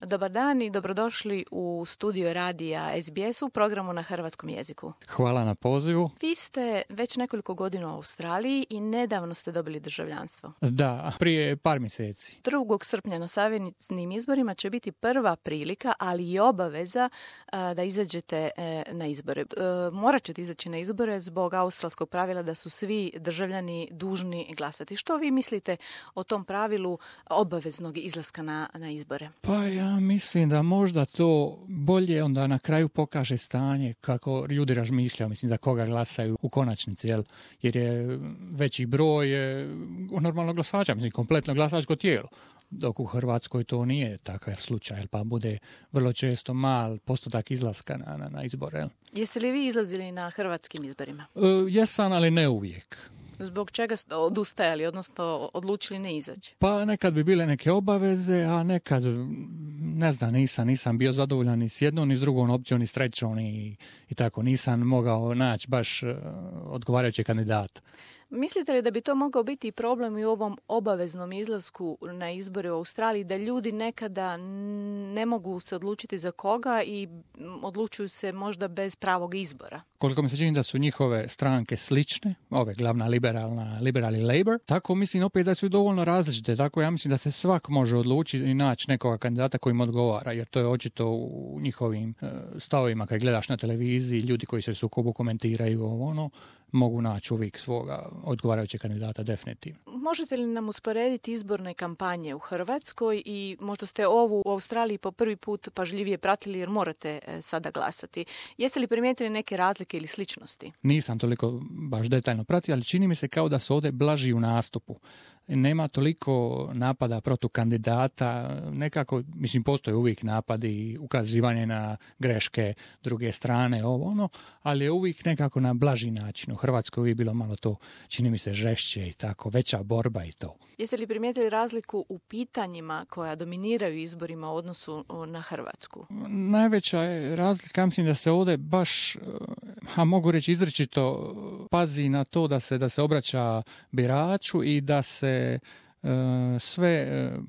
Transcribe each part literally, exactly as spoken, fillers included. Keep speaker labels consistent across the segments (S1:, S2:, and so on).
S1: Dobar dan i dobrodošli u studio radija S B S u programu na hrvatskom jeziku.
S2: Hvala na pozivu.
S1: Vi ste već nekoliko godina u Australiji i nedavno ste dobili državljanstvo.
S2: Da, prije par mjeseci.
S1: drugog srpnja na savjetnim izborima će biti prva prilika, ali i obaveza a, da izađete e, na izbore. E, morat ćete izaći na izbore zbog australskog pravila da su svi državljani dužni glasati. Što vi mislite o tom pravilu obaveznog izlaska na, na izbore?
S2: Pa ja mislim da možda to bolje onda na kraju pokaže stanje kako ljudi razmišljaju, mislim za koga glasaju u konačnici, jel? Jer je veći broj normalno glasača, mislim kompletno glasačko tijelo. Dok u Hrvatskoj to nije takav slučaj, pa bude vrlo često mal postotak izlaska na, na, na izbore. Jel?
S1: Jeste li vi izlazili na hrvatskim izborima?
S2: E, jesam, ali ne uvijek.
S1: Zbog čega ste odustajali, odnosno odlučili ne izaći?
S2: Pa nekad bi bile neke obaveze, a nekad, ne znam, nisam, nisam bio zadovoljan ni s jednom, ni s drugom opcijom, ni s trećom i, i tako. Nisam mogao naći baš odgovarajući kandidat.
S1: Mislite li da bi to mogao biti problem i u ovom obaveznom izlasku na izbore u Australiji, da ljudi nekada ne mogu se odlučiti za koga i odlučuju se možda bez pravog izbora?
S2: Koliko mi se čini da su njihove stranke slične, ove glavna liberalna, liberal i Labour, tako mislim opet da su dovoljno različite, tako ja mislim da se svak može odlučiti i naći nekoga kandidata koji im odgovara, jer to je očito u njihovim stavovima kad gledaš na televiziji, ljudi koji se u sukobu komentiraju ovo ono, mogu naći uvijek svoga odgovarajućeg kandidata definitivno.
S1: Možete li nam usporediti izborne kampanje u Hrvatskoj i možda ste ovu u Australiji po prvi put pažljivije pratili jer morate sada glasati. Jeste li primijetili neke razlike ili sličnosti?
S2: Nisam toliko baš detaljno pratio, ali čini mi se kao da su ovdje blaži u nastupu. Nema toliko napada protiv kandidata, nekako, mislim, postoje uvijek napadi, ukazivanje na greške druge strane, ovo ono, ali je uvijek nekako na blaži način. U Hrvatskoj uvijek bilo malo to, čini mi se, žešće i tako, veća borba i to.
S1: Jeste li primijetili razliku u pitanjima koja dominiraju izborima u odnosu na Hrvatsku?
S2: Najveća je razlika, mislim da se ovdje baš, a mogu reći izričito, pazi na to da se, da se obraća biraču i da se sve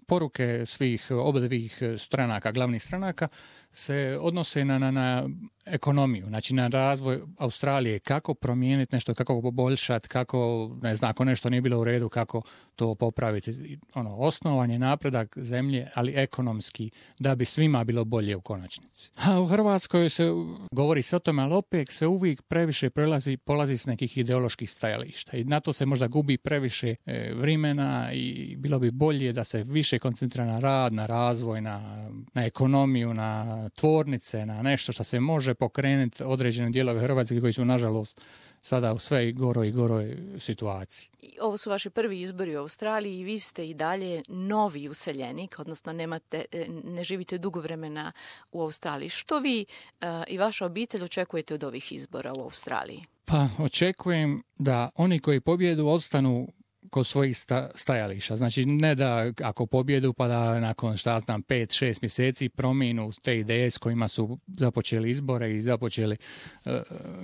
S2: poruke svih obadvih stranaka, glavnih stranaka, se odnose na, na, na ekonomiju, znači na razvoj Australije, kako promijeniti nešto, kako poboljšati, kako, ne znam, ako nešto nije bilo u redu, kako to popraviti. Ono, osnovan je napredak zemlje, ali ekonomski, da bi svima bilo bolje u konačnici. A u Hrvatskoj se govori se o tome, ali opet se uvijek previše prelazi, polazi s nekih ideoloških stajališta i na to se možda gubi previše e, vremena i bilo bi bolje da se više koncentrira na rad, na razvoj, na, na ekonomiju, na tvornice, na nešto što se može pokrenuti određene dijelove Hrvatske koji su nažalost sada u sve goroj i goroj situaciji.
S1: Ovo su vaši prvi izbori u Australiji i vi ste i dalje novi useljenik, odnosno nemate, ne živite dugo vremena u Australiji. Što vi uh, i vaša obitelj očekujete od ovih izbora u Australiji?
S2: Pa očekujem da oni koji pobjedu ostanu kod svojih sta, stajališta. Znači ne da ako pobjedu pa da nakon šta znam pet šest mjeseci promijenu te ideje s kojima su započeli izbore i započeli uh,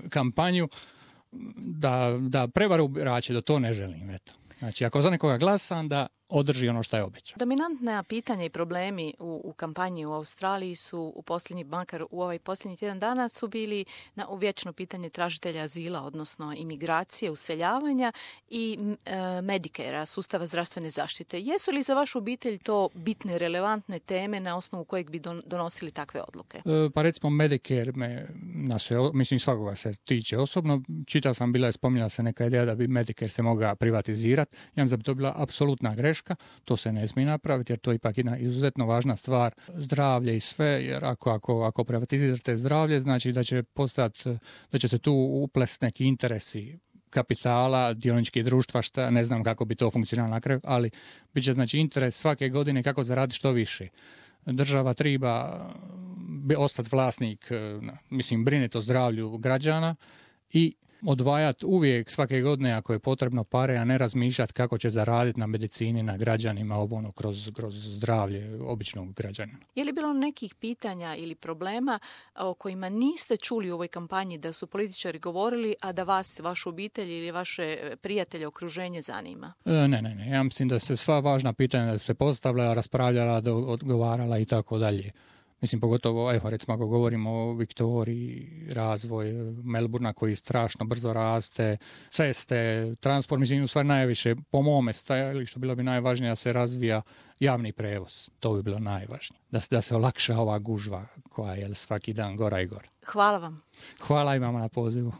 S2: kampanju, da, da prevaru birače, da to ne želim. Eto. Znači ako za nekoga glasam da održi ono što je obećao.
S1: Dominantna pitanja i problemi u, u kampanji u Australiji su u posljednji, makar u ovaj posljednji tjedan dana, su bili na vječno pitanje tražitelja azila, odnosno imigracije, useljavanja i e, Medicare, sustava zdravstvene zaštite. Jesu li za vašu obitelj to bitne, relevantne teme na osnovu kojeg bi don, donosili takve odluke?
S2: E, pa recimo Medicare me, na sve, mislim svakoga se tiče osobno. Čitao sam, bila je spominjala se neka ideja da bi Medicare se mogao privatizirati. Ja mislim da bi to bila apsolutna greška. To se ne smije napraviti jer to je ipak jedna izuzetno važna stvar, zdravlje i sve, jer ako, ako, ako privatizirate zdravlje, znači da će postati, da će se tu uplesti neki interesi kapitala, dioničkih društva, šta, ne znam kako bi to funkcionalo na kraju, ali bit će znači interes svake godine kako zaraditi što više. Država treba ostati vlasnik, mislim, brinuti o zdravlju građana i odvajati uvijek svake godine ako je potrebno pare, a ne razmišljati kako će zaraditi na medicini, na građanima, ovo ono, kroz, kroz zdravlje običnog građanina.
S1: Je li bilo nekih pitanja ili problema o kojima niste čuli u ovoj kampanji da su političari govorili, a da vas, vašu obitelj ili vaše prijatelje, okruženje zanima?
S2: E, ne, ne, ne. Ja mislim da se sva važna pitanja se postavljala, raspravljala, odgovarala i tako dalje. Mislim, pogotovo, evo, recimo, ako govorimo o Viktoriji, razvoj Melburna koji strašno brzo raste, ceste, transport, mislim, u stvari najviše, po mome stajalištu, bilo bi najvažnije da se razvija javni prevoz. To bi bilo najvažnije. Da, da se olakša ova gužva koja je svaki dan gora i gora.
S1: Hvala vam.
S2: Hvala i vama na pozivu.